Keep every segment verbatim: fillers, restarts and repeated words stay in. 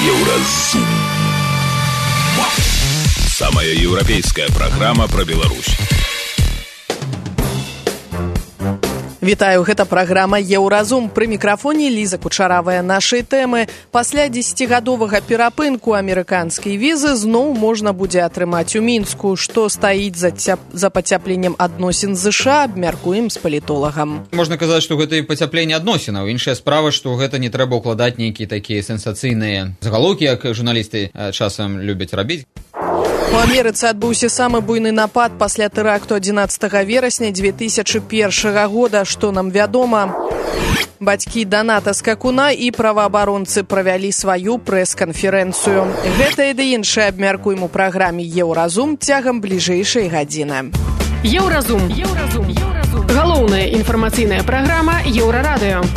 Еўразум. Самая европейская программа про Беларусь. Вітаю, гэта праграма «Еўразум». Пры мікрафоне Ліза Кучаравая. Нашай тэмы. Пасля дзесяцігадовага перапынку амерыканскай візы зноў можна будзе атрымаць у Мінску. Што стаіць за, цяп... за пацяпленнем адносін з ЗША, абмяркуем з палітолагам. Можна казаць, што гэта і пацяпленне адносінаў. Іншая справа, што гэта не трэба ўкладаць нейкія такія сенсацыйныя загалоўкі, як журналісты часам любяць рабіць. У Амерыцы адбыўся самы буйны напад пасля тэракту адзінаццатага верасня дзве тысячы першага года. Што нам вядома? Бацькі Даната Скакуна і праваабаронцы правялі сваю прэс-канферэнцыю. Гэта і да іншае абмяркуем у праграме «Еўразум» цягам бліжэйшай гадзіны. Еўразум. Еўразум. Еўразум. Галоўная інфармацыйная праграма Еўрарадыё.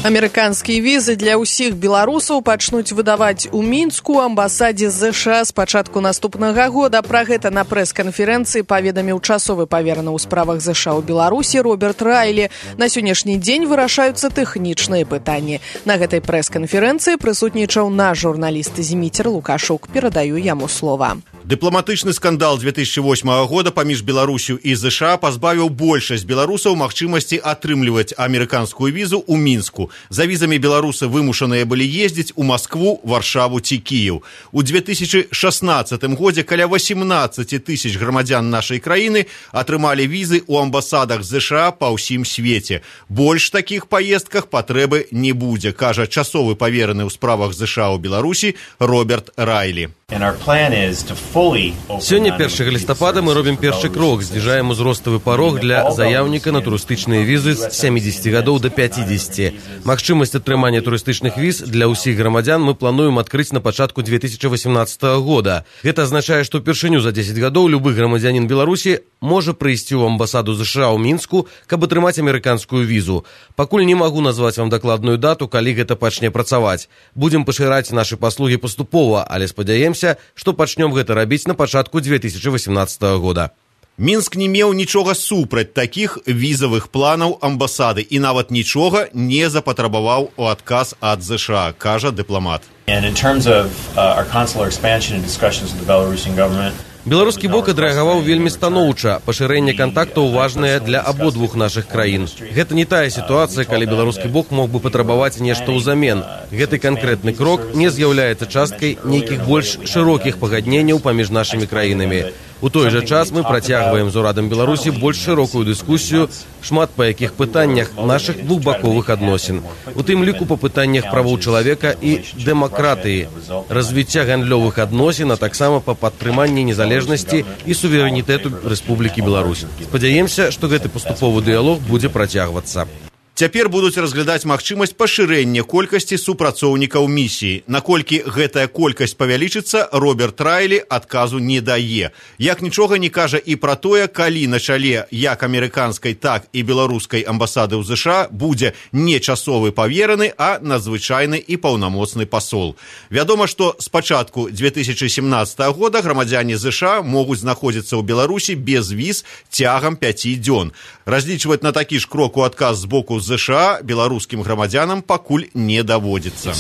Амерыканскія візы для ўсіх беларусаў пачнуць выдаваць у Мінску амбасадзе ЗША з пачатку наступнага года. Пра гэта на прэс-канферэнцыі паведаміў часовы павераны ў справах ЗША ў Беларусі Роберт Райлі. На сённяшні дзень вырашаюцца тэхнічныя пытанні. На гэтай прэс-канферэнцыі прысутнічаў наш журналіст Зміцер Лукашук. Перадаю яму слова. Дыпламатычны скандал дзве тысячы восьмага года паміж Беларусю і ЗША пазбавіў большасць беларусаў магчымасці атрымліваць амерыканскую візу ў Мінску. За візамі беларусы вымушаныя былі ездзіць у Маскву, Варшаву ці Кіеў. У дзве тысячы шаснаццатым годзе каля восемнадцаць тысяч грамадзян нашай краіны атрымалі візы ў амбасадах ЗША па ўсім свеце. Больш такіх паездках патрэбы не будзе, кажа часовы павераны ў справах ЗША ў Беларусі Роберт Райлі. Сёння першага лістапада мы робім першы крок, зніжаем узроставы парог для заяўніка на турыстычныя візы з сямідзесяці гадоў да пяцідзесяці. Магчымасць атрымання турыстычных віз для ўсіх грамадзян мы плануем адкрыць на пачатку дзве тысячы васемнаццатага года. Гэта азначае, што ўпершыню за дзесяць гадоў любы грамадзянін Беларусі можа прыйсці ў амбасаду ЗША ў Мінску, каб атрымаць амерыканскую візу. Пакуль не магу назваць вам дакладную дату, калі гэта пачне працаваць. Будзем пашыраць нашы паслугі паступова, але спадзяемся, што пачнём гэта рабіць на пачатку дзве тысячы васемнаццатага года. Мінск не меў нічога супраць такіх візавых планаў амбасады і нават нічога не запатрабаваў у адказ ад ЗША, кажа дыпламат. Беларускі бок адрэагаваў вельмі станоўча. Пашырэнне кантактаў важнае для абодвух нашых краін. Гэта не тая сітуацыя, калі беларускі бок мог бы патрабаваць нешта ўзамен. Гэты канкрэтны крок не з'яўляецца часткай нейкіх больш шырокіх пагадненняў паміж нашымі краінамі. У той жа час мы працягваем з урадам Беларусі больш шырокую дыскусію, шмат па якіх пытаннях нашых двухбаковых адносін. У тым ліку па пытаннях правоў чалавека і дэмакратыі, развіцця гандлёвых адносін, а таксама па падтрыманні незалежнасці і суверэнітэту Рэспублікі Беларусь. Спадзяемся, што гэты паступовы дыялог будзе працягвацца. Цяпер будуць разглядаць магчымасць пашырэння колькасці супрацоўнікаў місіі. Наколькі гэтая колькасць павялічыцца, Роберт Райлі адказу не дае. Як нічога не кажа і пра тое, калі на чале як амерыканскай, так і беларускай амбасады ў ЗША будзе не часовы павераны, а надзвычайны і паўнамоцны пасол. Вядома, што з пачатку дзве тысячы сямнаццатага года грамадзяне ЗША могуць знаходзіцца ў Беларусі без віз цягам пяці дзён. Разлічваць на такі ж крок у адказ з боку ЗША беларускім грамадзянам пакуль не даводзіцца.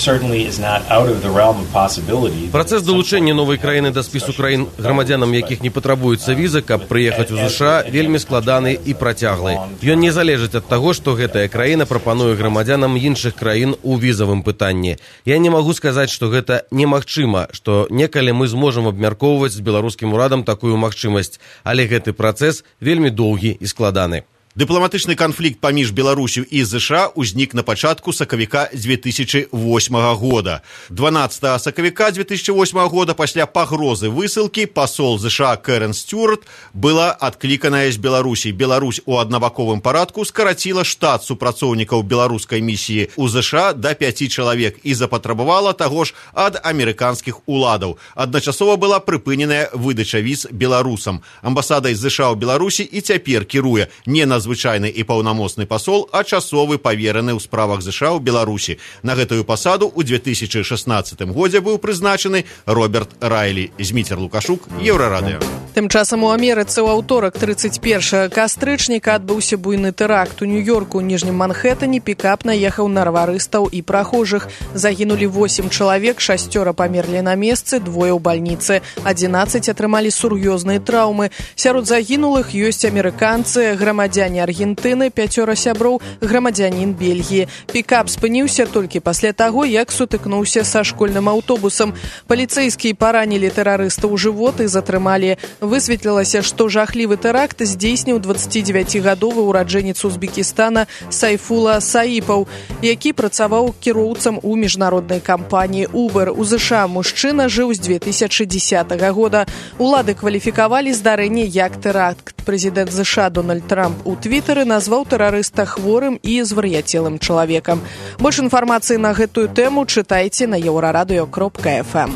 Працэс далучэння новай краіны да спісу краін, грамадзянам якіх не патрабуецца віза, каб прыехаць у ЗША, вельмі складаны і працяглы. Ён не залежыць ад таго, што гэтая краіна прапануе грамадзянам іншых краін у візавым пытанні. Я не магу сказаць, што гэта немагчыма, што некалі мы зможам абмяркоўваць з беларускім урадам такую магчымасць, але гэты працэс вельмі доўгі і складаны. Дыпламатычны канфлікт паміж Беларусю і ЗША ўзнік на пачатку сакавіка дзве тысячы восьмага года. дванаццатага сакавіка дзве тысячы восьмага года пасля пагрозы высылкі пасол ЗША Кэрэн Стюарт была адкліканая з Беларусі. Беларусь у аднабаковым парадку скараціла штат супрацоўнікаў беларускай місіі ў ЗША да пяці чалавек і запатрабавала таго ж ад амерыканскіх уладаў. Адначасова была прыпыненая выдача віз беларусам. Амбасадай ЗША ў Беларусі і цяпер кіруе не на звычайны і паўнамоцны пасол, а часовы павераны ў справах ЗША ў Беларусі. На гэтую пасаду ў дзве тысячы шаснаццатым годзе быў прызначаны Роберт Райлі. Зміцер Лукашук, Еўрарадыё. Тым часам у Амерыцы ў аўторак тридцать першага кастрычніка адбыўся буйны тэракт у Нью-Йорку. У ніжнім Манхэттане пікап наехаў на раварыстаў і прахожых. Загінулі восемь чалавек, шасцёра памерлі на месцы, двое ў бальніцы. адзінаццаць атрымалі сур'ёзныя траўмы. Сярод загінулых ёсць амерыканцы, грамадзяне Аргентыны, пяцёра сяброў, грамадзянін Бельгіі. Пікап спыніўся толькі пасля таго, як сутыкнуўся са школьным аўтобусам. Паліцэйскія паранілі тэрарыста ў жывот і затрымалі. Высветлілася, што жахлівы тэракт здзейсніў дваццацідзевяцігадовы ўраджэнец Узбекістана Сайфула Саіпаў, які працаваў кіроўцам у міжнароднай кампаніі Uber. У ЗША мужчына жыў з две тысячы дзесятага года. Улады кваліфікавалі здарэнне як тэракт. Прэзідэнт ЗША Дональд Трамп у твітары назваў тэрарыста хворым і звар'яцелым чалавекам. Больш інфармацыі на гэтую тэму чытайце на еўрарадыё кропка эф эм.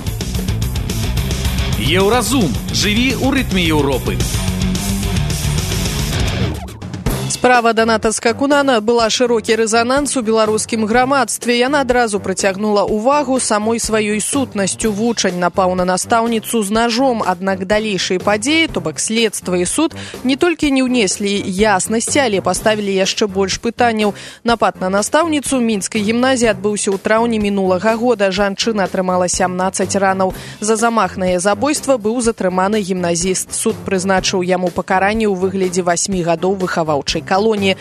Еўразум. Жыві ў рытме Еўропы. Справа Даната Скакуна была шырокі рэзананс у беларускім грамадстве. Яна адразу прыцягнула ўвагу самой сваёй сутнасцю. Вучань напаў на настаўніцу з нажом, аднак далейшыя падзеі, то бок следства і суд, не толькі не ўнеслі яснасці, але паставілі яшчэ больш пытанняў. Напад на настаўніцу мінскай гімназіі адбыўся ў траўні мінулага года. Жанчына атрымала сямнаццаць ранаў. За замах на яе забойства быў затрыманы гімназіст. Суд прызначыў яму пакаранне ў выглядзе васьмі гадоў выхаваўчай колонии.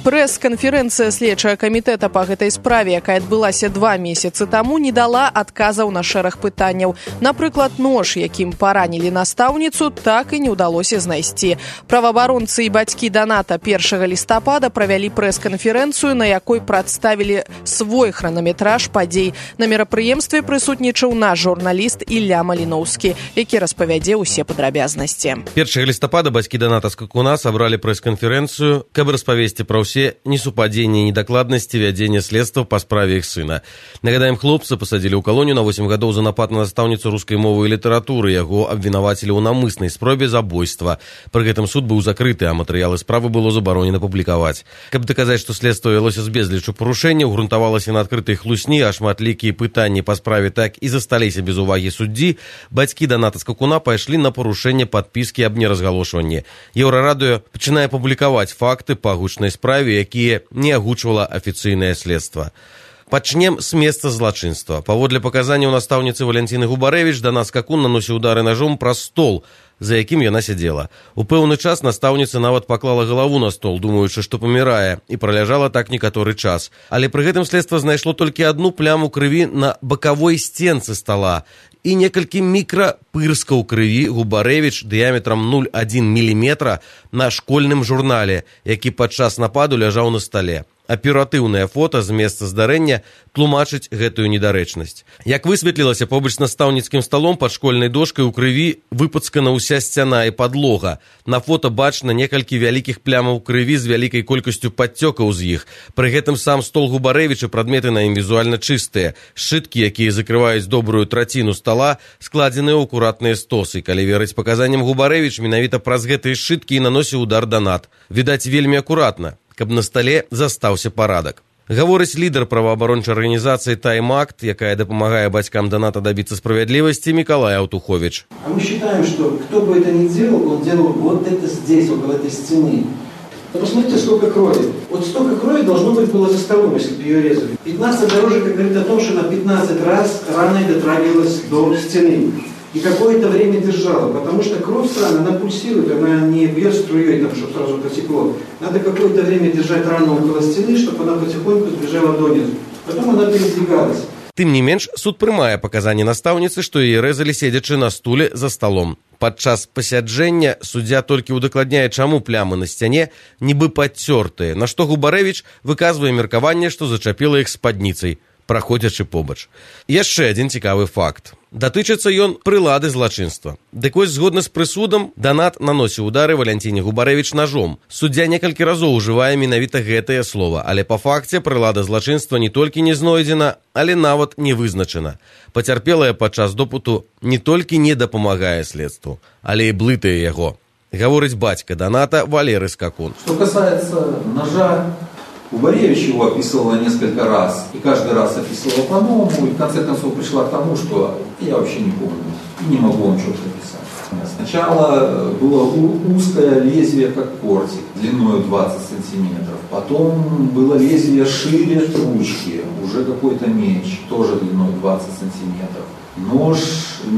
Прэс-канферэнцыя следчага камітэта па гэтай справе, якая адбылася два месяцы таму, не дала адказаў на шэраг пытанняў. Напрыклад, нож, якім паранілі настаўніцу, так і не ўдалося знайсці. Праваабаронцы і бацькі Даната першага лістапада правялі прэс-канферэнцыю, на якой прадставілі свой хранаметраж падзей. На мерапрыемстве прысутнічаў наш журналіст Ілля Маліноўскі, які распавядзе ўсе падрабязнасці. першага лістапада бацькі Даната Скакуна сабралі прэс-канферэнцыю, каб распавесці пра ўсе несупадзенні і недакладнасці вядзення следства па справе іх сына. Нагадаем, хлопца пасадзілі ў калонію на восем гадоў за напад на настаўніцу рускай мовы і літаратуры. Яго абвінавацілі ў намыснай спробе забойства. Пры гэтым суд быў закрыты, а матэрыялы справы было забаронена публікаваць. Каб даказаць, што следства вялося з безлічу парушэнняў, грунтавалася на адкрытай хлусні, а шматлікія пытанні па справе так і засталіся без увагі суддзі, бацькі Даната Скакуна пайшлі на парушэнне падпіскі аб неразгалошванні. Еўрарадыё пачынае публікаваць факты па гучнай справе, якія не агучвала афіцыйнае следства. Пачнем з месца злачынства. Паводле паказанняў настаўніцы Валянціны Губарэвіч, Данат Скакун наносіў удары нажом праз стол, за якім яна сядзела. У пэўны час настаўніца нават паклала галаву на стол, думаючы, што памірае, і праляжала так некаторы час. Але пры гэтым следства знайшло толькі адну пляму крыві на бакавой сценцы стола і некалькі мікрапырскаў крыві Губарэвіч дыяметрам нуль цалых адзін міліметра на школьным журнале, які падчас нападу ляжаў на стале. Аператыўнае фота з месца здарэння тлумачыць гэтую недарэчнасць. Як высветлілася, побач з настаўніцкім сталом пад школьнай дошкай у крыві выпацкана ўся сцяна і падлога. На фота бачна некалькі вялікіх плямаў крыві з вялікай колькасцю падцёкаў з іх. Пры гэтым сам стол Губарэвіча, прадметы на ім візуальна чыстыя. Сшыткі, якія закрываюць добрую траціну стола, складзены ў акуратныя стосы. Калі верыць паказанням Губарэвіч, менавіта праз гэтыя сшыткі і наносіў удар Данат. Відаць, вельмі акуратна, каб на стале застаўся парадак. Гаворыць лідар праваабарончай арганізацыі «Тайм-Акт», якая дапамагае бацькам Даната добиться справядлівасці, Миколай Алтухович. А мы считаем, что кто бы это ни делал, он делал вот это здесь, около этой стены. Но посмотрите, сколько крови. Вот столько крови должно быть было за столом, если бы ее резали. пятнадцать дорожек говорит о том, что на пятнадцать раз рана дотрагивалась до стены. И какое-то время держала, потому что кровь странно, она пульсирует, она не бьет струей, там, чтобы сразу потекло. Надо какое-то время держать рану около стены, чтобы она потихоньку сбежала донизу. Потом она передвигалась. Тым не менш, суд прымае паказанні настаўніцы, што яе рэзалі седзячы на стуле за сталом. Падчас пасяджэння суддзя толькі ўдакладняе, чаму плямы на сцяне нібы падцёртыя, на што Губарэвіч выказвае меркаванне, што зачапіла іх спадніцай, праходзячы побач. Яшчэ адзін цікавы факт. Датычыцца ён прылады злачынства. Дык вось, згодна з прысудам, Данат наносіў удары Валянціне Губарэвіч ножом. Суддзя некалькі разоў ужывае менавіта гэтае слова, але па факце прылада злачынства не толькі не знойдзена, але нават не вызначана. Пацярпелая падчас допыту не толькі не дапамагае следству, але і блытае яго. Гаворыць бацька Даната Валерый Скакун. Что касается ножа, Губарэвич его описывала несколько раз, и каждый раз описывала по-новому, и в конце концов пришла к тому, что я вообще не помню, не могу вам четко писать. Сначала было узкое лезвие, как кортик, длиной двадцать сантиметров. Потом было лезвие шире ручки, уже какой-то меч, тоже длиной двадцать сантиметров. Нож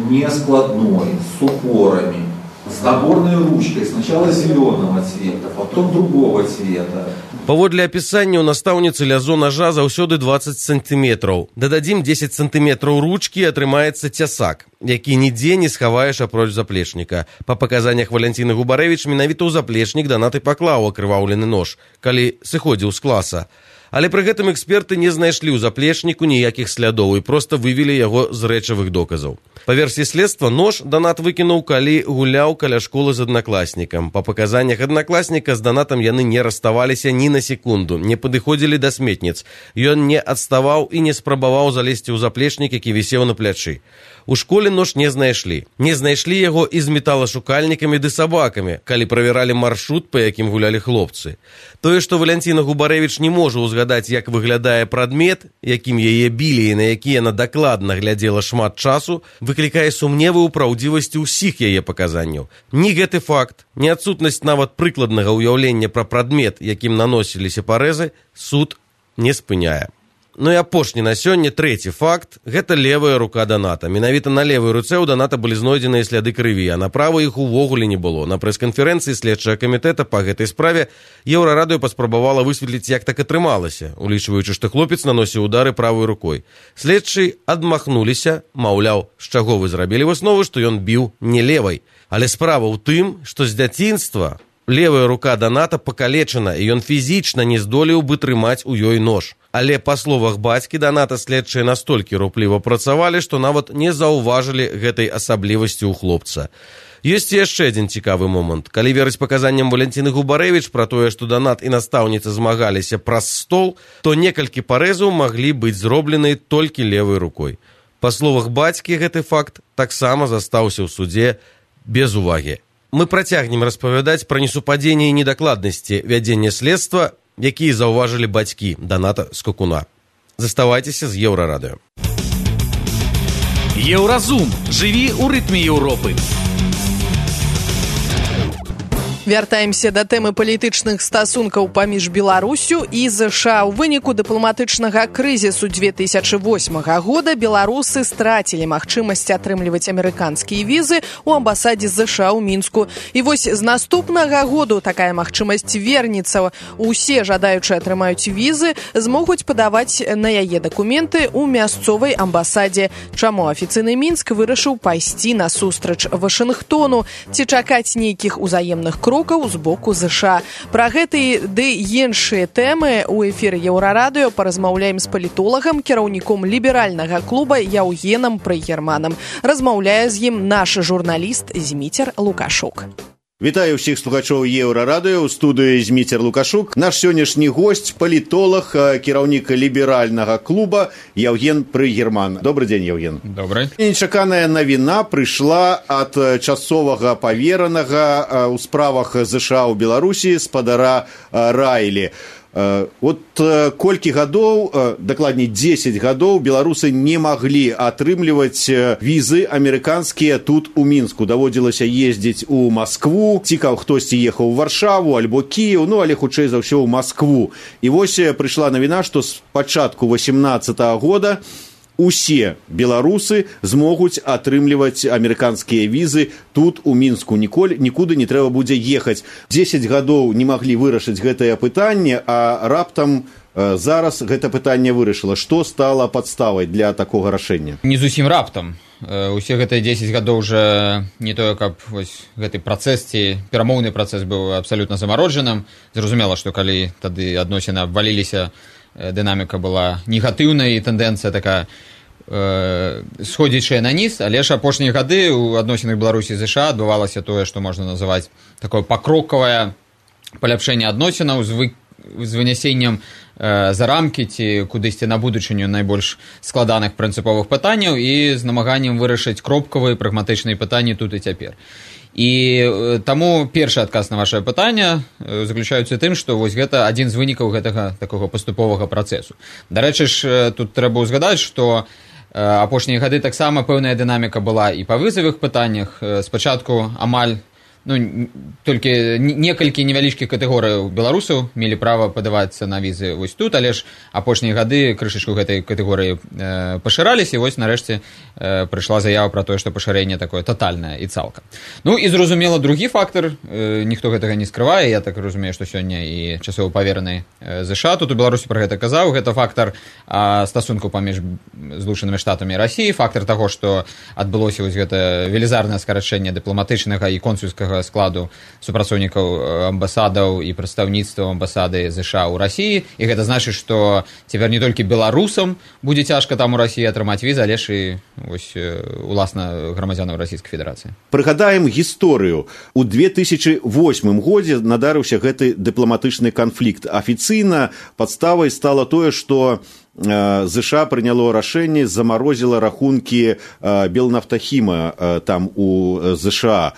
не складной, с упорами, с наборной ручкой. Сначала зеленого цвета, потом другого цвета. Паводле апісання ў настаўніцы лязо ножа заўсёды двадцать сантиметраў. Дададзім дзесяць сантиметраў ручкі, атрымаецца цясак, які нідзе не схаваеш апроч заплечніка. Па паказаннях Валянціны Губарэвіч, менавіта ў заплечнік Данат і паклаў акрываўлены нож, калі сыходзіў з класа. Але пры гэтым эксперты не знайшлі ў заплечніку ніякіх слядоў і проста вывелі яго з рэчавых доказаў. Па версіі следства, нож Данат выкінуў, калі гуляў каля школы з аднакласнікам. Па паказаннях аднакласніка з Данатам яны не раставаліся ні на секунду, не падыходзілі да сметніц. Ён не адставаў і не спрабаваў залезці ў заплечнік, які вісеў на плячы. У школе нож не знайшлі. Не знайшлі яго і з металашукальнікамі ды сабакамі, калі правяралі маршрут, па якім гулялі хлопцы. Тое, што Валянціна Губарэвіч не можа ўзгадаць, як выглядае прадмет, якім яе білі і на які яна дакладна глядзела шмат часу, выклікае сумневы ў праўдзівасці ўсіх яе паказанняў. Ні гэты факт, ні адсутнасць нават прыкладнага ўяўлення пра прадмет, якім наносіліся парэзы, суд не спыняе. Ну і апошні на сёння трэці факт – гэта левая рука Даната. Менавіта на левой руцэ ў Даната былі знойдзеныя сляды крыві, а на правой іх увогуле не было. На прэс-канферэнцыі следчага камітэта па гэтай справе Еўрарадыё паспрабавала высветліць, як так атрымалася, улічваючы, што хлопец наносіў удары правой рукой. Следчы адмахнуліся, маўляў, з чаго вы зрабілі выснову, што ён біў не левай. Але справа ў тым, што з дзяцінства левая рука Даната пакалечана, і ён фізічна не здолеў бы трымаць у ёй нож. Але, па словах бацькі Даната, следчыя настолькі рупліва працавалі, што нават не заўважылі гэтай асаблівасці ў хлопца. Ёсць яшчэ адзін цікавы момант. Калі верыць паказанням Валянціны Губарэвіч пра тое, што Данат і настаўніца змагаліся праз стол, то некалькі парэзаў маглі быць зроблены толькі левай рукой. Па словах бацькі, гэты факт таксама застаўся ў суде без увагі. Мы працягнем распавядаць пра несупадзенне і недакладнасці вядзення следства, якія заўважылі бацькі Даната Скакуна. Заставайцеся з Еўрарадыё. Еўразум. Жыві ў рытме Еўропы. Вяртаемся да тэмы палітычных стасункаў паміж Беларусю і ЗША. У выніку дыпламатычнага крызісу две тысячы восьмага года беларусы страцілі магчымасць атрымліваць амерыканскія візы ў амбасадзе ЗША ў Мінску. І вось з наступнага году такая магчымасць вернецца. Усе жадаючыя атрымаюць візы змогуць падаваць на яе дакументы ў мясцовай амбасадзе. Чаму афіцыйны Мінск вырашыў пайсці насустрач Вашынгтону? Ці чакаць нейкіх узаемных крокаў з боку ЗША. Пра гэтыя ды іншыя тэмы ў эфіры Еўрарадыё паразмаўляем з палітолагам, кіраўніком ліберальнага клуба Яўгенам Прыгерманам. Размаўляе з ім наш журналіст Зміцер Лукашук. Вітаю ўсіх слухачоў Еўрарадыё, у студыі Зміцер Лукашук. Наш сённяшні госць, палітолог, кіраўнік ліберальнага клуба Яўген Прыгерман. Добрый дзень, Яўген. Добрый. Нечаканая навіна прыйшла ад часовага паверанага ў справах ЗША ў Беларусі спадара Райлі. Вот колькі гадоў, дакладней дзесяць гадоў, беларусы не маглі атрымліваць візы амерыканскія тут у Мінску. Даводзілася ездзіць у Маскву, цікаў хтосьці ехаў у Варшаву альбо Кіеў, ну але хутчэй за ўсё ў Маскву. І вось прыйшла навіна, што з пачатку васемнаццатага года усе беларусы змогуць атрымліваць амерыканскія візы тут у Мінску. Ніколі нікуды не трэба будзе ехаць. дзесяць гадоў не маглі вырашыць гэтае пытанне, а раптам э, зараз гэта пытанне вырашыла. Што стала падставай для такога рашэння? Не зусім раптам. Усе гэтыя дзесяць гадоў уже не тое, каб вось гэты працэс ці перамоўны працэс быў абсалютна замароджаным. Зразумела, што калі тады адносіны абваліліся, дынаміка была негатыўная і тэндэнцыя такая э, сходзячая на ніз, але ж апошнія гады ў адносінах Беларусі і ЗША адбывалася тое, што можна называць такое пакрокавае паляпшэнне адносінаў з, вы, з вынясеннем э, за рамкі ці кудысьці на будучыню найбольш складаных прынцыповых пытанняў і з намаганнем вырашыць кропкавыя прагматычныя пытанні тут і цяпер. І таму першы адказ на вашае пытанне заключаецца тым, што вось гэта адзін з вынікаў гэтага такога паступовага працэсу. Дарэчы ж, тут трэба ўзгадаць, што апошнія гады таксама пэўная дынаміка была і па вызавых пытаннях. Спачатку амаль ну, толькі некалькі невялічкіх катэгорыяў беларусаў мелі права падавацца на візы вось тут, але ж апошнія гады крышачку гэтай катэгорыі э, пашыраліся, і вось нарэшце э, прыйшла заява пра тое, што пашырэнне такое татальнае і цалкам. Ну і зразумела другі фактар, э, ніхто гэтага не скрывае, я так разумею, што сёння і часова павераны э, ЗША тут у Беларусі пра гэта казаў, гэта фактар э, стасунку паміж Злучанымі Штатамі і Расіяй, фактар таго, што адбылося вось гэта велізарнае скарачэнне дыпламатычнага і консульскага складу супрацоўнікаў амбасадаў і прадстаўніцтваў амбасады ЗША ў Расіі, і гэта значыць, што цяпер не толькі беларусам будзе цяжка там у Расіі атрымаць візы, але ж і вось уласна грамадзянаў Расійскай Федэрацыі. Прыгадаем гісторыю. У две тысячы восьмым годзе надарыўся гэты дыпламатычны канфлікт. Афіцыйна падставай стала тое, што ЗША прыняло рашэнне, замарозіла рахункі Белнафтахіма там у ЗША.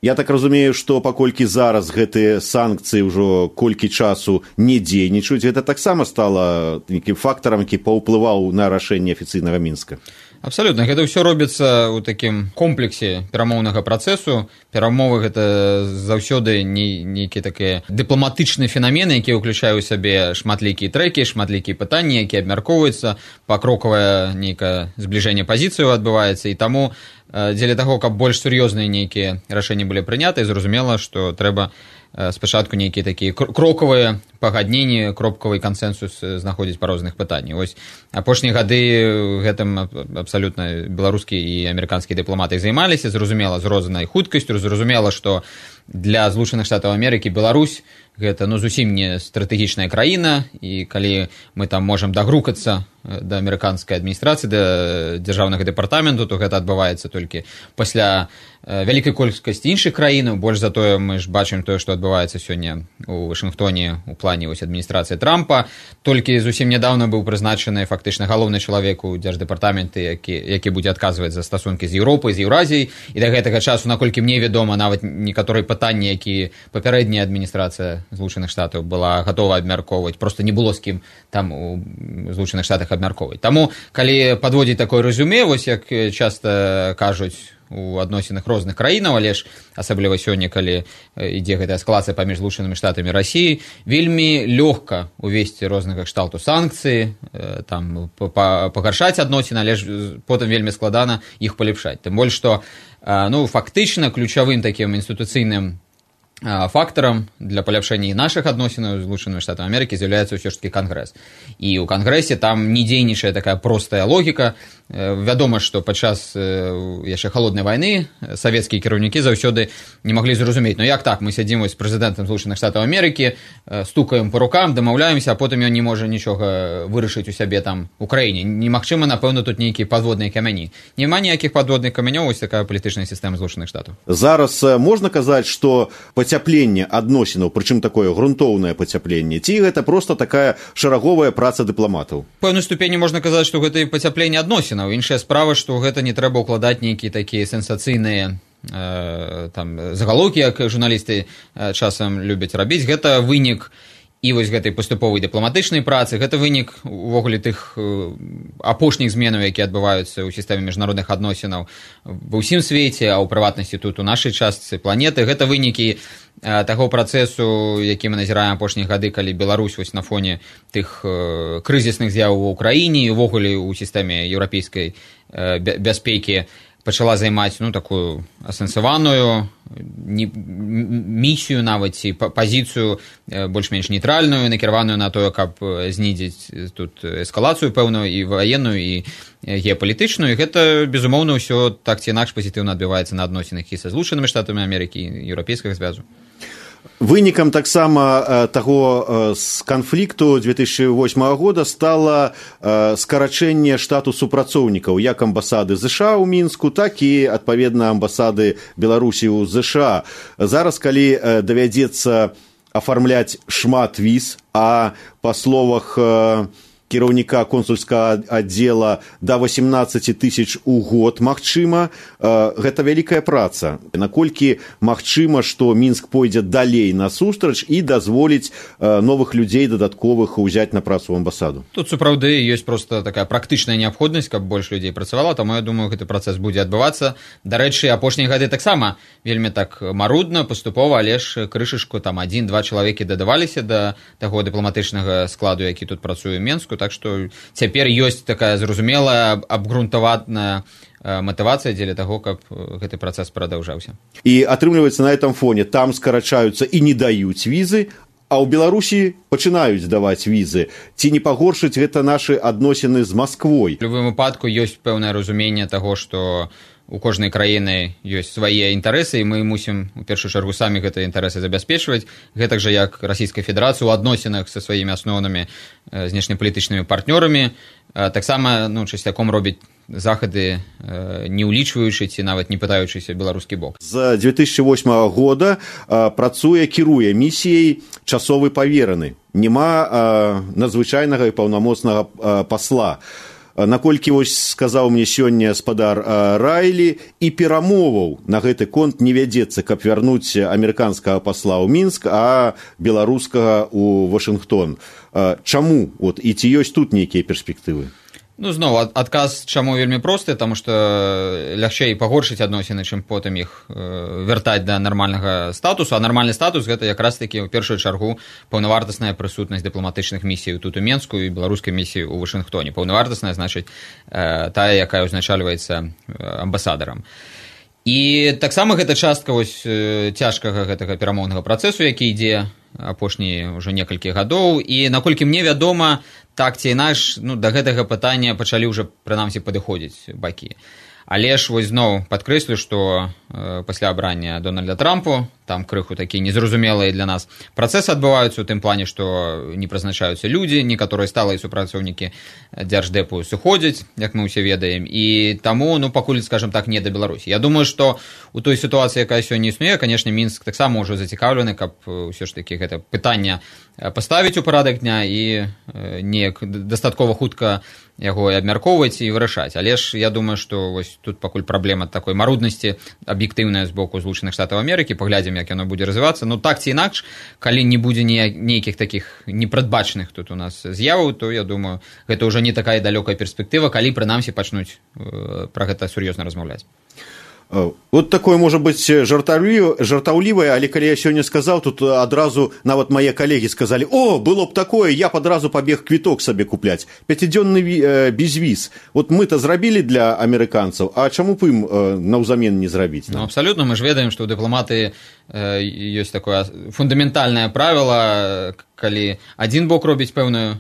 Я так разумею, што паколькі зараз гэтыя санкцыі ўжо колькі часу не дзейнічаюць, гэта таксама стала нейкім фактарам, які паўплываў на рашэнне афіцыйнага Мінска. Абсалютна, гэта ўсё робіцца ў такім комплексе перамоўнага працэсу. Перамовы гэта заўсёды нейкія такія дыпламатычныя фенамены, якія ўключаюць у сабе шматлікія трэкі, шматлікія пытанні, якія абмяркоўваюцца, пакрокавае нейкае збліжэнне пазіцыяў адбываецца, і таму дзеля таго, каб больш сур'ёзныя нейкія рашэнні былі прыняты, зразумела, што трэба спачатку нейкія такія крокавыя пагадненні, кропкавы кансэнсус знаходзіць па розных пытаннях. Вось апошнія гады гэтым абсалютна беларускія і амерыканскія дыпламаты займаліся, зразумела, з рознай хуткасцю, зразумела, што для Злучаных Штатаў Амерыкі Беларусь гэта ну зусім не стратэгічная краіна, і калі мы там можам дагрукацца да амерыканскай адміністрацыі, да дзяржаўнага дэпартаменту, то гэта адбываецца толькі пасля вялікай колькасці іншых краінаў. Больш за тое мы ж бачым тое, што адбываецца сёння у Вашынгтоне у плане вось адміністрацыі Трампа. Толькі зусім нядаўна быў прызначаны фактычна галоўны чалавек у дзярждэпартаменты, які, які будзе адказваць за стасункі з Еўропай, з Еўразіяй, і да гэтага часу, наколькі мне вядома, нават некаторыя пытанні, які папярэдняя адміністрацыя Злучаных Штатаў была гатова абмяркоўваць, проста не было з кім там у Злучаных Штатах абмяркоўваць. Таму, калі падводзіць такое рэзюме, вось як часта кажуць у адносінах розных краінаў, але ж асабліва сёння, калі ідзе гэтая эскалацыя паміж Злучанымі Штатамі і Расіяй, вельмі лёгка увесці рознага кшталту санкцыі, там пагаршаць адносіны, але ж потым вельмі складана іх палепшаць. Тым больш, што ну, фактычна ключавым такім інстытуцыйным фактарам для паляпшэння і нашых адносінаў з Злучанымі Штатамі Амерыкі з'яўляецца ўсё ж такі Кангрэс. І ў Кангрэсе там не дзейнічае такая простая логіка. Вядома, што падчас яшчэ халоднай вайны савецкія кіраўнікі заўсёды не маглі зразумець, ну як так, мы сядзім з прэзідэнтам Злучаных Штатаў Амерыкі, стукаем па рукам, дамаўляемся, а потым ён не можа нічога вырашыць у сябе там у краіне. Немагчыма, напэўна, тут нейкія падводныя камяні. Няма ніякіх падводных камянёў, вось такая палітычная сістэма Злучаных Штатаў. Зараз можна казаць, што пацяпленне адносінаў, прычым такое грунтоўнае пацяпленне, ці гэта проста такая шараговая праца дыпламатаў? Пэўнай ступені можна казаць, што гэта і пацяпленне адносінаў. Іншая справа, што гэта не трэба ўкладаць нейкія такія сенсацыйныя э, там загалоўкі, як журналісты э, часам любяць рабіць. Гэта вынік і вось гэтай паступовай дыпламатычнай працы, гэта вынік увогуле тых э, апошніх зменаў, якія адбываюцца ў сістэме міжнародных адносінаў ва ўсім свеце, а ў прыватнасці тут у нашай частцы планеты. Гэта вынікі таго працэсу, які мы назіраем апошнія гады, калі Беларусь вось на фоне тых э, крызісных з'яваў у краіне і увогуле ў сістэме еўрапейскай э, бяспекі пачала займаць ну такую асэнсаваную не, місію нават ці пазіцыю э, больш-менш нейтральную, накіраваную на тое, каб знізіць тут эскалацыю пэўную і ваенную і геапалітычную. І гэта безумоўна ўсё так ці інакш пазітыўна адбіваецца на адносінах і са Злучанымі Штатамі Амерыкі і еўрапейскага звязу. Вынікам таксама таго з канфлікту две тысячи восьмага года стала скарачэнне штату супрацоўнікаў як амбасады ЗША ў Мінску, так і, адпаведна, амбасады Беларусі ў ЗША. Зараз, калі давядзецца афармляць шмат віз, а па словах кіраўніка консульскага аддзела да восемнадцаць тысяч у год магчыма. Гэта вялікая праца. Наколькі магчыма, што Мінск пойдзе далей насустрач і дазволіць новых людзей дадатковых узяць на працу ў амбасаду? Тут сапраўды ёсць проста такая практычная неабходнасць, каб больш людзей працавала, таму я думаю, гэты працэс будзе адбывацца. Дарэчы, апошнія гады таксама вельмі так марудна, паступова, але ж крышачку там адзін-два чалавекі дадаваліся да таго дыпламатычнага складу, які тут працуе ў Менску, так што цяпер ёсць такая зразумелая, абгрунтаваная матывацыя дзеля таго, каб гэты працэс прадаўжаўся. І атрымліваецца, на этом фоне там скарачаюцца і не даюць візы, а ў Беларусі пачынаюць даваць візы. Ці не пагоршыць гэта нашы адносіны з Масквой? У любым выпадку ёсць пэўнае разуменне таго, што у кожнай краіны ёсць свае інтарэсы, і мы мусім у першую чаргу самі гэтыя інтарэсы забяспечваць, гэтак жа як Расійская Федэрацыя ў адносінах са сваімі асноўнымі знешнепалітычнымі партнёрамі таксама ну, часцяком робіць захады, не ўлічваючы ці нават не пытаючыся беларускі бок. З дзве тысячы восьмага года працуе, кіруе місіяй часовы павераны. Нема надзвычайнага і паўнамоцнага пасла. Наколькі вось сказаў мне сёння спадар Райлі, і перамоваў на гэты конт не вядзецца, каб вярнуць амерыканскага пасла ў Мінск, а беларускага ў Вашынгтон. Чаму? От, і ці ёсць тут нейкія перспектывы? Ну, зноў, адказ чаму вельмі просты, таму што лягчэй пагоршыць адносіны, чым потым іх вяртаць да нармальнага статусу, а нармальны статус гэта якраз такі ў першую чаргу паўнавартасная прысутнасць дыпламатычных місій тут у Менску і беларускай місіі ў Вашынгтоне. Паўнавартасная, значыць, тая, якая ўзначальваецца амбасадарам. І таксама гэта частка вось цяжкага гэтага перамоўнага працэсу, які ідзе апошнія ўжо некалькі гадоў, і наколькі мне вядома, так ці інакш, ну, да гэтага пытання пачалі ўжо, прынамсі, падыходзіць бакі. Але ж вось зноў падкрэслю, што э, пасля абрання Дональда Трампу, там крыху такія незразумелыя для нас працэсы адбываюцца ў тым плане, што не прызначаюцца людзі, некаторыя сталыя супрацоўнікі дзярждэпу сыходзяць, як мы ўсе ведаем, і таму, ну, пакуль, скажем так, не да Беларусі. Я думаю, што у той сітуацыі, якая сёння існуе, канешне, Мінск таксама ўжо зацікаўлены, каб ўсё ж такі гэта пытанне паставіць у парадак дня і э, неяк дастаткова хутка яго абмяркоўваць і вырашаць. Але ж я думаю, што вось тут пакуль праблема такой маруднасці аб'ектыўная з боку Злучаных Штатаў Амерыкі, паглядзім, як яно будзе развівацца. Ну, так ці інакш, калі не будзе нейкіх такіх непрадбачаных тут у нас з'яваў, то, я думаю, гэта ўжо не такая далёкая перспектыва, калі, прынамсі, пачнуць э, пра гэта сур'ёзна размаўляць. Вот такое можа быць жартаўлівае, але калі я сёння сказаў, тут адразу нават мае калегі сказалі: о, было б такое, я б адразу пабег квіток сабе купляць, пяцідзённы безвіз. Вот мы-то зрабілі для амерыканцаў, а чаму б ім наўзамен не зрабіць? Ну, абсалютна, мы ж ведаем, што ў дыпламатыі ёсць такое фундаментальнае правіла, калі адзін бок робіць пэўную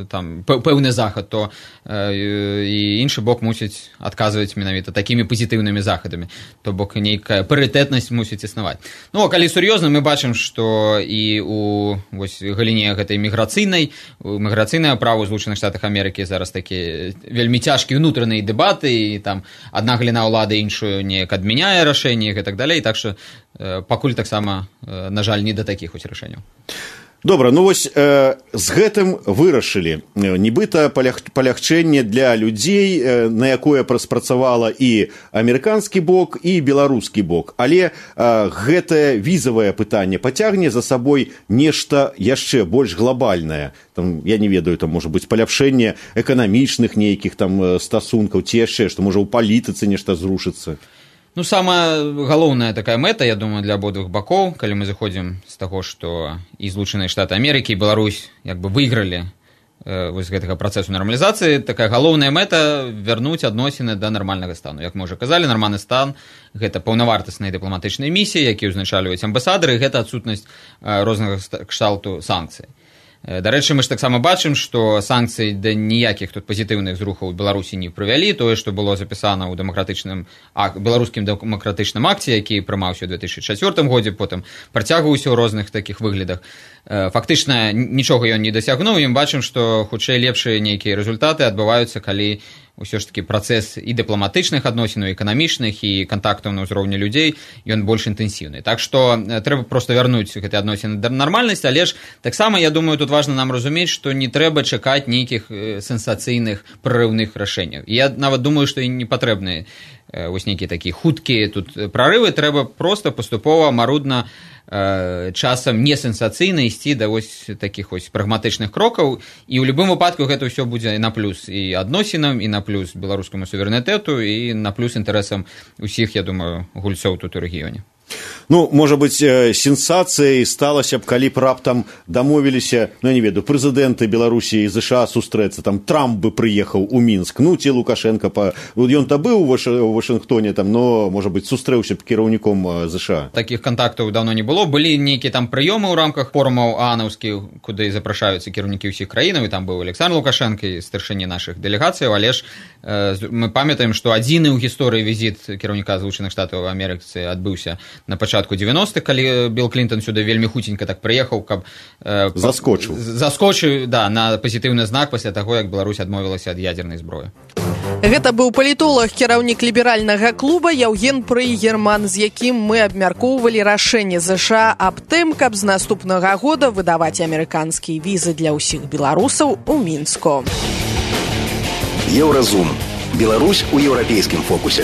там пэўны захад, то э, і іншы бок мусіць адказваць менавіта такімі пазітыўнымі захадамі, то бок нейкая парытэтнасць мусіць існаваць. Ну, а калі сур'ёзна, мы бачым, што і у вось галіне гэтай міграцыйнай, міграцыйнае права ў Злучаных Штатах Амерыкі зараз такі вельмі цяжкія ўнутраныя дэбаты, і там адна галіна ўлады іншую неяк адмяняе рашэнні і так далей, так што э, пакуль таксама, э, на жаль, не да такіх вось рашэнняў. Добра, ну вось э, з гэтым вырашылі. Нібыта палях, палягчэнне для людзей, э, на якое спрацавала і амерыканскі бок, і беларускі бок. Але э, гэтае візавае пытанне пацягне за сабой нешта яшчэ больш глобальнае. Там, я не ведаю, там можа быць паляпшэнне эканамічных нейкіх там стасункаў, ці яшчэ, што можа ў палітыцы нешта зрушыцца. Ну, самая галоўная такая мэта, я думаю, для абодвух бакоў, калі мы заходзім з таго, што і Злучаныя Штаты Амерыкі, і Беларусь як бы выйгралі э, вось гэтага працэсу нармалізацыі, такая галоўная мэта вярнуць адносіны да нармальнага стану. Як мы ўжо казалі, нармальны стан – гэта паўнавартасныя дыпламатычныя місіі, якія ўзначальваюць амбасадары, і гэта адсутнасць э, рознага кшталту санкцый. Дарэчы, мы ж таксама бачым, што санкцыі да ніякіх тут пазітыўных зрухаў у Беларусі не прывялі. Тое, што было запісана ў дэмакратычным ак... беларускім дэмакратычным акце, які прымаўся ў две тысячы чацвёртым годзе, потым працягваўся ў розных такіх выглядах. Фактычна нічога ён не дасягнуў, і мы бачым, што хутчэй лепшыя нейкія рэзультаты адбываюцца, калі ўсё ж такі працэс і дыпламатычных адносінаў, эканамічных і кантактаў на ўзроўні людзей, ён больш інтэнсіўны. Так што трэба проста вярнуць гэтыя адносіны да нармальнасці, але ж таксама, я думаю, тут важна нам разумець, што не трэба чакаць нейкіх сенсацыйных прарыўных рашэнняў. Я нават думаю, што і не патрэбны вось нейкія такія хуткія тут прарывы, трэба проста паступова, марудна, часам не сенсацыйна ісці да вось такіх вось прагматычных крокаў, і ў любым выпадку гэта ўсё будзе на плюс і адносінам, і на плюс беларускаму суверэнітэту, і на плюс інтарэсам усіх, я думаю, гульцоў тут у рэгіёне. Ну, можа быць, сенсацыяй сталася б, калі б раптам дамовіліся, ну, я не ведаю, прэзідэнты Беларусі і ЗША сустрэцца, там Трамп бы прыехаў у Мінск, ну, ці Лукашенко, па... ён-то быў у Вашынгтоне, там, но, можа быць, сустрэўся б кіраўніком ЗША. Такіх кантактаў даўно не было, былі нейкія там прыёмы ў рамках форумаў аанаўскіх, куды запрашаюцца кіраўнікі ўсіх краінаў, і там быў Александр Лукашенко, старшыні нашых дэлегацыяў, але ж э, мы памятаем, што адзіны ў гісторыі візіт кіраўніка Злучаных Штатаў Амерыкі адбыўся на пачатку дзевяностых, калі Білл Клінтон сюды вельмі хуценька так прыехаў, каб э, заскочыў заскочыў да, на пазітыўны знак пасля таго, як Беларусь адмовілася ад ядзернай зброі. Гэта быў палітолог, кіраўнік ліберальнага клуба Яўген Прыгерман, з якім мы абмяркоўвалі рашэнне ЗША аб тым, каб з наступнага года выдаваць амерыканскія візы для ўсіх беларусаў у Мінску. Еўразум. Беларусь у еўрапейскім фокусе.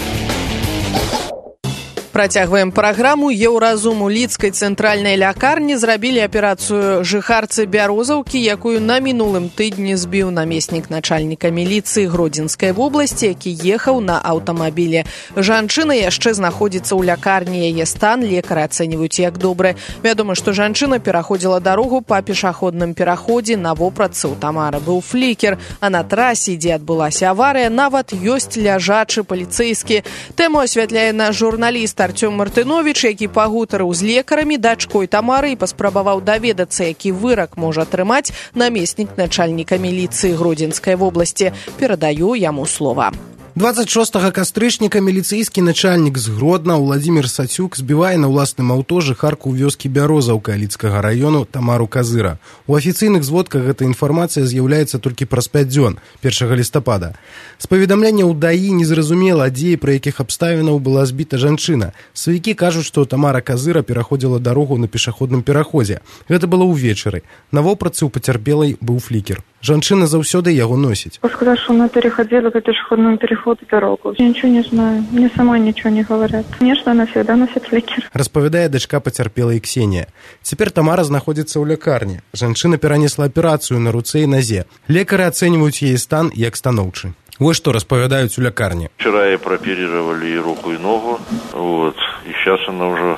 Працягваем праграму. Еўразум у лідскай цэнтральнай лякарні зрабілі аперацыю жыхарцы Бярозаўкі, якую на мінулым тыдні збіў намеснік начальніка міліцыі Гродзенскай вобласці, які ехаў на аўтамабілі. Жанчына яшчэ знаходзіцца ў лякарні, яе стан лекары ацэньваюць як добры. Вядома, што жанчына пераходзіла дарогу па пешаходным пераходзе, на вопратцы ў Тамары быў флікер, а на трасе, дзе адбылася аварыя, нават ёсць ляжачы паліцэйскі. Тэму асвятляе наш журналіст Артём Мартынович, які пагутарыў з лекарамі, дачкой Тамары, і паспрабаваў даведацца, які вырак можа атрымаць намеснік начальніка міліцыі Гродзенскай вобласці. Перадаю яму слова. двадцать шостага кастрычніка міліцэйскі начальнік з Гродна Владзімір Сацюк збівае на ўласным аўто жыхарку ў вёскі Бярозаўка Лідскага раёну Тамару Казыра. У афіцыйных зводках гэта інфармацыя з'яўляецца толькі праз пяць дзён, першага лістапада. З паведамлення ў ДАІ незразумела, дзе і пра якіх абставінаў была збіта жанчына. Сваякі кажуць, што Тамара Казыра пераходзіла дарогу на пешаходным пераходзе. Гэта было ўвечары. На вопратцы ў пацярпелай быў флікер. Жанчына заўсёды яго носіць. Сказать, что она переходила по пешеходному переходу дорогу. Я ничего не знаю. Мне самой ничего не говорят. Конечно, она всегда носит фликер. Распавядае дачка пацярпелай Ксенія. Цяпер Тамара знаходзіцца ў лякарні. Жанчына перанесла аперацыю на руцэ і назе. Лекары ацэньваюць яе стан як станоўчы. Вот что распавядаюць у лякарні. Вчера ей прооперировали и руку, и ногу. Вот. И сейчас она уже,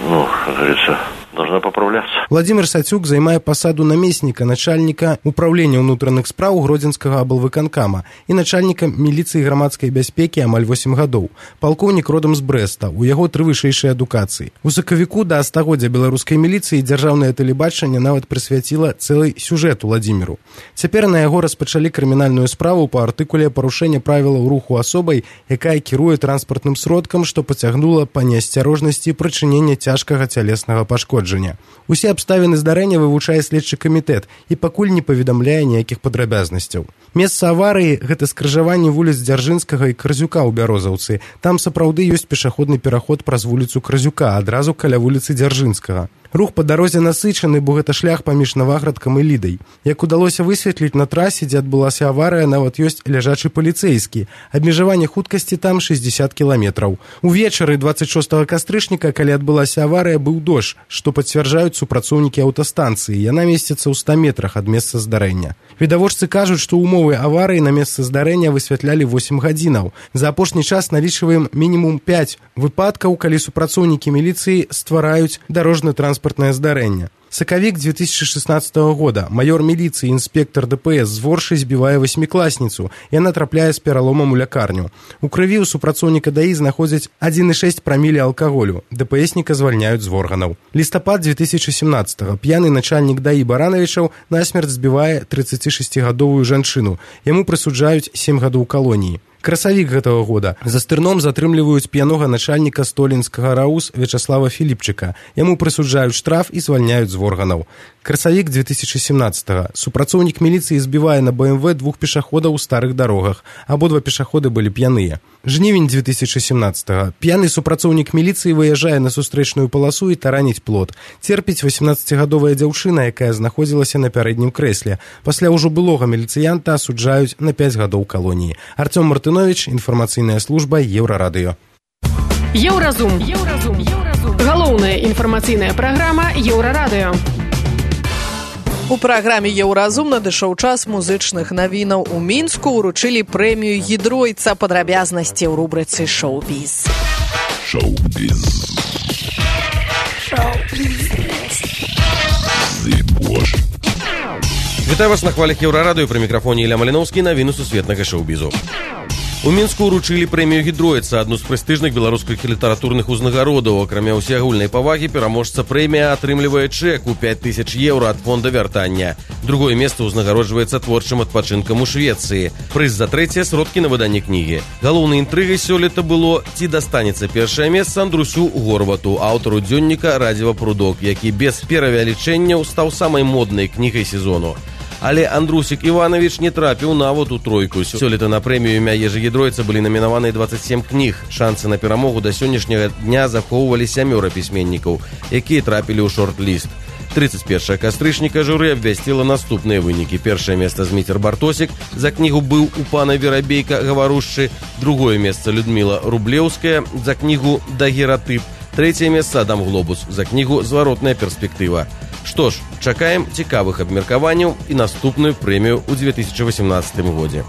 ну, как говорится, должна поправляться. Владзімір Сацюк займае пасаду намесніка начальніка управлення ўнутраных спраў Гродзенскага аблвыканкама і начальніка міліцыі грамадскай бяспекі амаль восем гадоў. Палкоўнік родам з Брэста, у яго тры вышэйшыя адукацыі. У сакавіку да стагоддзя беларускай міліцыі дзяржаўнае тэлебачанне нават прысвяціла цэлы сюжэт Владзіміру. Цяпер на яго распачалі крымінальную справу па артыкуле парушэння правілаў руху асобай, якая кіруе транспартным сродкам, што пацягнула па неасцярожнасці прычынення цяжкага цялеснага пашкоджання. Усе абставіны здарэння вывучае следчы камітэт і пакуль не паведамляе ніякіх падрабязнасцяў. Месца аварыі – гэта скрыжаванне вуліц Дзяржынскага і Карзюка ў Бярозаўцы. Там сапраўды ёсць пешаходны пераход праз вуліцу Карзюка, адразу каля вуліцы Дзяржынскага. Рух па дарозе насычаны, бо гэта шлях паміж Наваградкам і Лідай. Як удалося высветліць, на трасе, дзе адбылася аварыя, нават ёсць ляжачы паліцэйскі. Абмежаванне хуткасці там шэсцьдзесят кіламетраў. Увечары двадцать шостага кастрычніка, калі адбылася аварыя, быў дождж, што пацвярджаюць супрацоўнікі аўтастанцыі. Яна месціцца ў ста метрах ад месца здарэння. Відавочцы кажуць, што ўмовы аварыі на месцы здарэння высвятлялі восем гадзінаў. За апошні час налічваем мінімум пяць выпадкаў, калі супрацоўнікі міліцыі ствараюць дарожна-транспартнае здарэнне. Сакавік две тысячи шестнадцатого года. Майор міліцыі, інспектор ДПС з Воршы збівае васьмікласніцу. Яна трапляе з пераломам у лякарню. У крыві ў супрацоўніка ДАІ знаходзяць адзін і шэсць прамілі алкаголю. ДПСніка звальняюць з органаў. Лістапад две тысячи семнадцатого. П'яны начальнік ДАІ Баранавічаў насмерць збівае трыццацішасцігадовую жанчыну. Яму прысуджаюць сем гадоў калоніі. Красавік гэтага года. За стырном затрымліваюць п'янога начальніка столінскага РАУС Вячаслава Філіпчыка. Яму прысуджаюць штраф і звальняюць з органаў. Красавік две тысячи семнадцатого. Супрацоўнік міліцыі збівае на бэ эм вэ двух пешаходаў у старых дарогах. Абодва пешаходы былі п'яныя. Жнівень две тысячи семнадцатого. П'яны супрацоўнік міліцыі выязджае на сустрэчную паласу і тараніць плот. Церпіць восемнаццацігадовая дзяўчына, якая знаходзілася на пярэднім крэсле. Пасля ўжо былога міліцыянта асуджаюць на пяць гадоў калоніі. Артём Мартынович, інфармацыйная служба Еўрарадыё. Еўразум. Еўразум. Еўразум. Галоўная інфармацыйная праграма Еўрарадыё. У праграме «Еўразум» надышоў час музычных навінаў. У Мінску ўручылі прэмію «Гідройца». Падрабязнасці ў рубрыцы «Шоу-біз». Шоу-біз. Шоу-біз. Вітаю вас на хвалях Еўрарадыё, пры мікрафоне Ілля Маліноўскі, навіны сусветнага шоу-бізу. У Мінску ўручылі прэмію «Гідройца», адну з прэстыжных беларускіх літаратурных узнагародаў. Акрамя ўсеагульнай павагі, пераможца прэмія атрымлівае чэк у пяць тысяч еўра ад фонда вяртання. Другое месца ўзнагароджваецца творчым адпачынкам у Швецыі. Прыз за трэцяе сродкі на выданне кнігі. Галоўнай інтрыгай сёлета было, ці дастанецца першае месца Андрусю Горвату, аўтару дзённіка «Радзіва Прудок», які без перавялічэнняў стаў самай моднай кнігай сезону. Але Андрусік Іванович не трапіў нават у тройку. Сёлета на прэмію імя Ежы Гідройца былі намінаваны дваццаць сем кніг. Шансы на перамогу да сённяшняга дня захоўвалі сямёра пісьменнікаў, якія трапілі ў шорт-ліст. тридцать першага кастрычніка журы абвясціла наступныя вынікі. Першае месца Зміцер Бартосік за кнігу «Быў у пана Верабейка гаварушчы». Другое месца Людміла Рублеўская за кнігу «Дагератып». Трэцяе месца Адам Глобус за кнігу «Зваротная перспектыва». Што ж, чакаем цікавых абмеркаванняў і наступную прэмію ў две тысячи восемнадцатым годзе.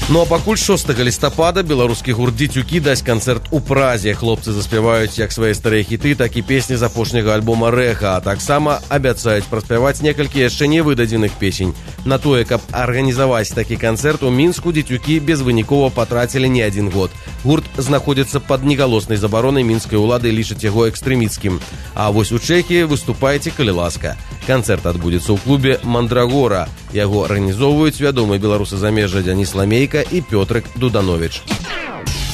Ну а пакуль шостага лістапада беларускі гурт «Дзецюкі» дасць канцэрт у Празе. Хлопцы заспяваюць як свае старыя хіты, так і песні з апошняга альбома «Рэха», а таксама абяцаюць праспяваць некалькі яшчэ не выдадзеных песень. На тое, каб арганізаваць такі канцэрт у Мінску, «Дзецюкі» безвынікова патрацілі не адзін год. Гурт знаходзіцца пад негалоснай забаронай мінскай улады, лічаць яго экстрэміцкім. А вось у Чэхіі выступайце, калі ласка. Канцэрт адбудзецца ў клубе «Мандрагора». Яго арганізоўваюць вядомыя беларусы замежжа Дзяніс Ламейка і Пётрык Дуданович.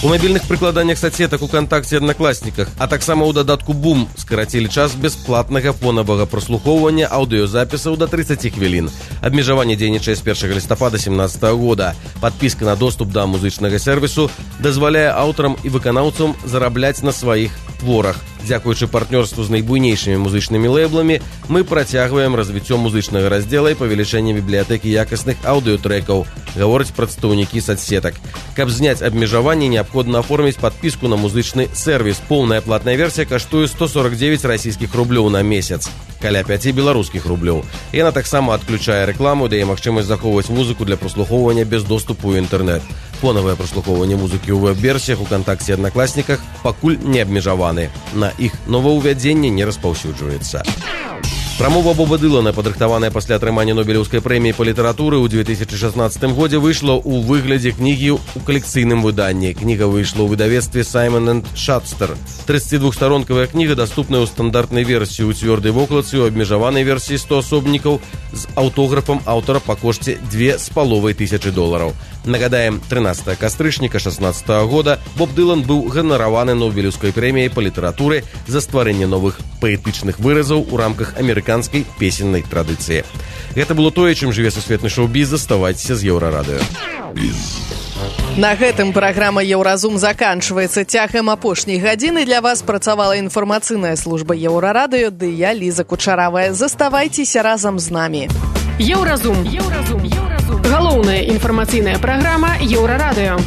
У мабільных прыкладаннях соцсетак УКонтакце і Аднакласніках, а таксама ў дадатку «Бум» скарацілі час бясплатнага фонавага праслухоўвання аўдыёзапісаў да тридцати хвілін. Абмежаванне дзейнічае з першага лістапада семнадцатага года. Падпіска на доступ да музычнага сервісу дазваляе аўтарам і выканаўцам зарабляць на сваіх творах. Дзякуючы партнёрству з найбуйнейшымі музычнымі лэйбламі, мы працягваем развіццё музычнага раздзела і павелічэнне бібліятэкі якасных аўдыётрэкаў, гавораць прадстаўнікі соцсетак. Каб зняць абмежаванне, неабходна аформіць падпіску на музычны сервіс. Поўная платная версія каштуе сто сорок девять расійскіх рублёў на месяц, каля пяти беларускіх рублёў. Яна таксама адключае рэкламу, дае магчымасць захоўваць музыку для праслухоўвання без доступу ў інтэрнэт. Фонавае праслухоўванне музыкі ў вэб-версіях УКонтакце і Аднакласніках пакуль не абмежаваны. На іх новаўвядзенне не распаўсюджваецца. Прамова Боба Дылана, падрыхтаваная пасля атрымання Нобелеўскай прэміі па літаратуры ў две тысячи шестнадцатым годзе, выйшла ў выглядзе кнігі ў калекцыйным выданні. Кніга выйшла ў выдавецтве Саймон энд Шатстер. тридцатидвухсторонкавая кніга даступная ў стандартнай версіі, ў цвёрдай вокладцы, у абмежаванай версіі сто асобнікаў з аўтографам аўтара па кошце две з паловай тысячы долараў. Нагадаем, трынаццатага кастрычніка шестнадцатага года Боб Дылан быў ганараваны Нобелеўскай прэміяй па літаратуры за стварэнне новых паэтычных выразаў у рамках амерыканскай песеннай традыцыі. Гэта было тое, чым жыве сусветны шоу-біз. Заставайцеся з Еўрарадыё. На гэтым праграма «Еўразум» заканчваецца. Цягам апошняй гадзіны для вас працавала інфармацыйная служба Еўрарадыё, ды я, Ліза Кучаравая. Заставайцеся разам з намі. Еўразум. Еўразум. Еўразум. Галоўная інфармацыйная праграма Еўрарадыё.